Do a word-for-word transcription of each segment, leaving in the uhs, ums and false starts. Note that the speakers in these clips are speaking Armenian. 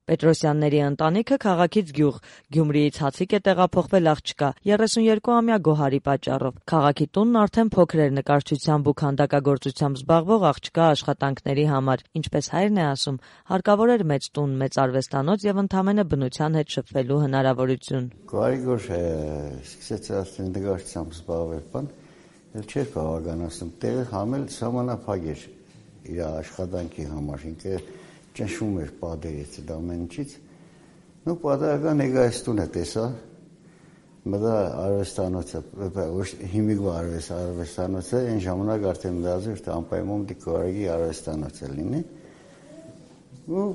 Պետրոսյանների ընտանիքը քաղաքից գյուղ, Գյումրիից Հացիկ է տեղափոխվել աղջկա երեսուներկուամյա Գոհարի պատճառով։ Քաղաքի տունն արդեն փոքր էր նկարչությամբ ու քանդակագործությամբ զբաղվող աղջկա աշխատանքների համար։ Ինչպես հայրն է ասում, հարկավոր էր մեծ տուն, մեծ արվեստանոց եւ ընդամենը բնության հետ շփվելու հնարավորություն։ Գոհարի գոր սկսեց արդեն նկարչությամբ զբաղվել, բան, էլ չէր բավականացնում, տեղը համել սահմանափակ էր իր աշխատանքի համար, ինքը ճնշում էր պատերից այդ ամեն ինչից, ու պատահական ներկայացնում է տեսա, մտա արվեստանոցը, հիմիկվա արվեստանոցը, այն ժամանակ արդեն մտածում էր, թե անպայման դի Գոհարի արվեստանոցը լինի, ու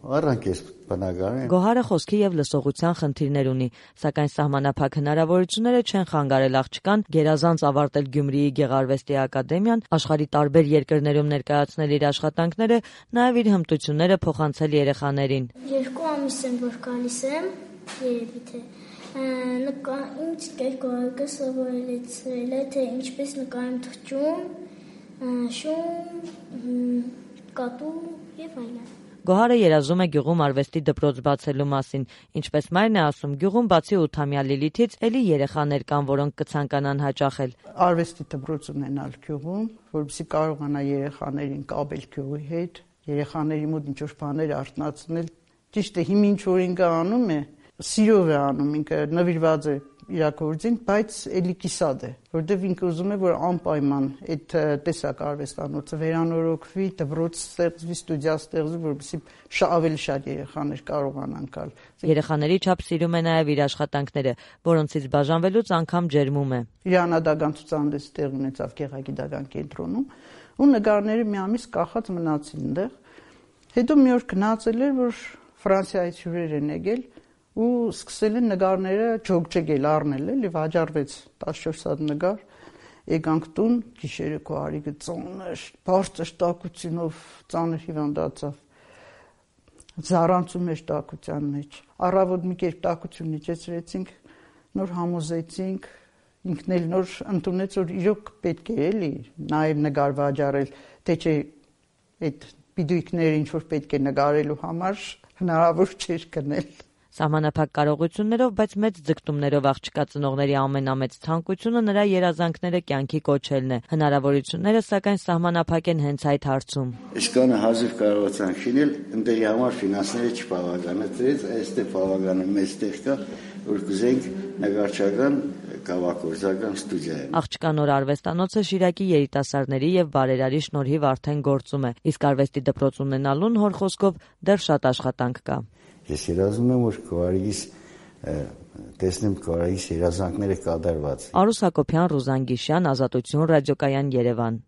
առանք ես բնակարան։ Գոհարը խոսքի եւ լսողության խնդիրներ ունի, սակայն սահմանափակ հնարավորությունները չեն խանգարել աղջկան գերազանց ավարտել Գյումրիի Գեղարվեստի ակադեմիան, աշխարհի տարբեր երկրներում ներկայացնել իր աշխատանքները, նաեւ իր հմտությունները փոխանցել երեխաներին։ Երկու ամիս եմ, որ գալիս եմ, երևի թե նկա ինձ կերկորակը սովորեցրել է, թե ինչպես նկարեմ թռչուն, շուն, կատու եւ այլն։ Գոհարը երազում է գյուղում արվեստի դպրոց բացելու մասին, ինչպես մայրն է ասում, գյուղում բացի ութամյա Լիլիթից էլի երեխաներ կան, որոնք կցանկանան հաճախել։ Արվեստի դպրոց ունենալ գյուղում, որովհետեւ կարողանա երեխաներին կապել գյուղի հետ, երեխաների մոտ ինչ-որ բաներ արտնացնել։ Ճիշտ է, հիմա ինչ որ ինքը անում է, սիրով է անում, ինքը նվիրված է իր գործին, բայց էլի կիսատ է, որովհետեւ ինքը ուզում է, որ անպայման այդ տեսակ արվեստանոցը վերանորոգվի, դպրոց ստեղծվի, ստուդիա ստեղծվի, որովհետեւ ավելի շատ երեխաներ կարողանան գալ։ Երեխաների չափ սիրում է նաեւ իր աշխատանքները, որոնցից բաժանվելուց անգամ ջերմում է։ Իր անհատական ցուցահանդես տեղ ունեցավ Գեղագիտական կենտրոնում, ու նկարները մի ամիս կախած մնացին այնտեղ։ Հետո մի օր գնացել էր, որ Ֆրանսիայից հյուրեր են եկել ու սկսել են նկարները ջոգջել առնել էլ եւ հաջարվեց տասնչորս հատ նկար, եկանք տուն, գիշերը Գոհարիկը ծանր, բարձր տաքությունով ծանր հիվանդացավ, զառանցում էր տաքության մեջ, առավոտ մի կերպ տաքությունն իջեցրեցինք, նոր համոզեցինք, ինքն էլ նոր ընդունեց, որ իրոք պետք է էլի նաեւ նկար վաճառել, թե չէ այդ պիդույքները ինչ որ պետք է նկարելու համար հնարավոր չէր գնել։ Սահմանափակ կարողություններով, բայց մեծ ձգտումներով աղջկա ծնողների ամենամեծ ցանկությունը նրա երազանքները կյանքի կոչելն է։ Հնարավորությունները սակայն սահմանափակ են հենց այդ հարցում։ Այսքանը հազիվ կարողացան քինել, ընդերի համար ֆինանսները չբավականացրեց, այստեղ բավականին մեծ տեղ կա, որ կուզենք նկարչական կավագործական ստուդիա։ Աղջկա նոր արվեստանոցը Շիրակի երիտասարդների եւ բարերարի շնորհիվ արդեն գործում է, իսկ արվեստի դպրոց ունենալուն հոր խոսքով դեռ շատ աշխատանք կա։ Ես երազում եմ, որ Գոհարիս տեսնեմ Գոհարիս երազանքները կատարված։ Արուս Հակոբյան, Ռուզան Գիշյան, Ազատություն ռադիոկայան, Երևան։